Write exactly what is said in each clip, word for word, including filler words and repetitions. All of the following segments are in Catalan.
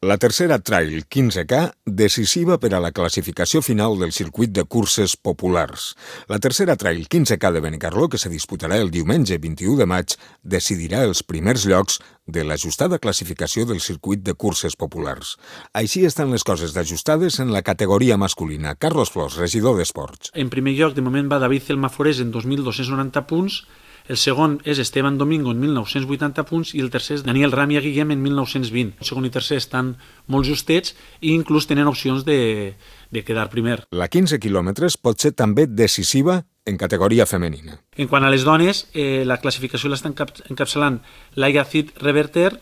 La tercera Trail quinze K, decisiva per a la classificació final del circuit de curses populars. La tercera Trail quinze K de Benicarló, que se disputarà el diumenge vint-i-u de maig, decidirà els primers llocs de l'ajustada classificació del circuit de curses populars. Així estan les coses d'ajustades en la categoria masculina. Carlos Flors, regidor d'Esports. En primer lloc, de moment, va David Celmaforés en dos mil dos-cents noranta punts, el segon és Esteban Domingo en mil nou-cents vuitanta punts i el tercer és Daniel Ramia Guillem en mil nou-cents vint. El segon i tercer estan molt justets i inclús tenen opcions de, de quedar primer. La quinze quilòmetres pot ser també decisiva en categoria femenina. En quant a les dones, eh, la classificació l'està encapçalant Laia Cid Reverter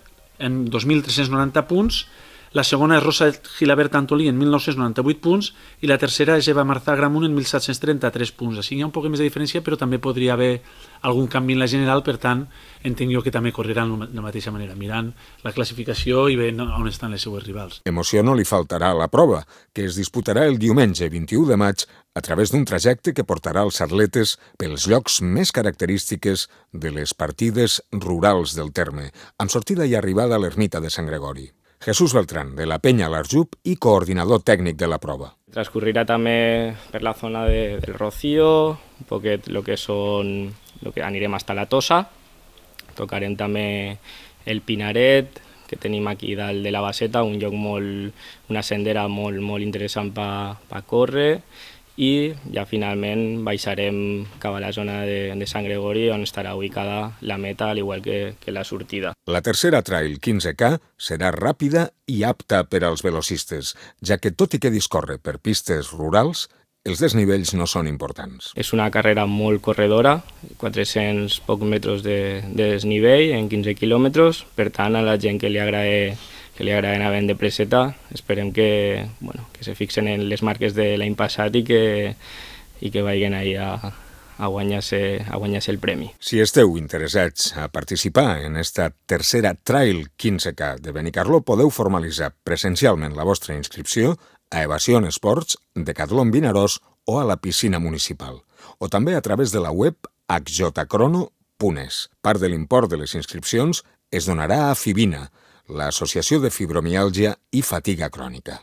en dos mil tres-cents noranta punts, la segona és Rosa Gilabert Antolí en mil nou-cents noranta-vuit punts i la tercera és Eva Marzà Gramunt en mil set-cents trenta-tres punts. Així hi ha un poc més de diferència, però també podria haver algun canvi en la general, per tant, entenc jo que també correran de la mateixa manera, mirant la classificació i veient on estan les seues rivals. Emoció no li faltarà a la prova, que es disputarà el diumenge vint-i-u de maig a través d'un trajecte que portarà els atletes pels llocs més característiques de les partides rurals del terme, amb sortida i arribada a l'ermita de Sant Gregori. Jesús Beltrán, de la Penya L'Arjup i coordinador tècnic de la prova. Transcurrirá també per la zona de, del Rocío, un poquet lo que són, lo que anirem hasta la Tosa, tocarem també el Pinaret, que tenim aquí dalt de la Baseta, un lloc molt, una sendera molt, molt interessant per pa córrer, i ja finalment baixarem cap a la zona de, de Sant Gregori, on estarà ubicada la meta, al igual que, que la sortida. La tercera Trail quinze K serà ràpida i apta per als velocistes, ja que tot i que discorre per pistes rurals, els desnivells no són importants. És una carrera molt corredora, quatre-cents pocs metres de, de desnivell en quinze quilòmetres, per tant a la gent que li agrada que li agrada anar ben de preseta, esperem que, bueno, que se fixen en les marques de l'any passat i que, i que vagin ahí a, a guanyar-se a guanyar-se el premi. Si esteu interessats a participar en esta tercera Trail quinze K de Benicarló, podeu formalitzar presencialment la vostra inscripció a Evasion Esports, Decathlon Vinaròs o a la piscina municipal, o també a través de la web h j crono punt es. Part de l'import de les inscripcions es donarà a Fibina, l'Associació de Fibromiàlgia i Fatiga Crònica.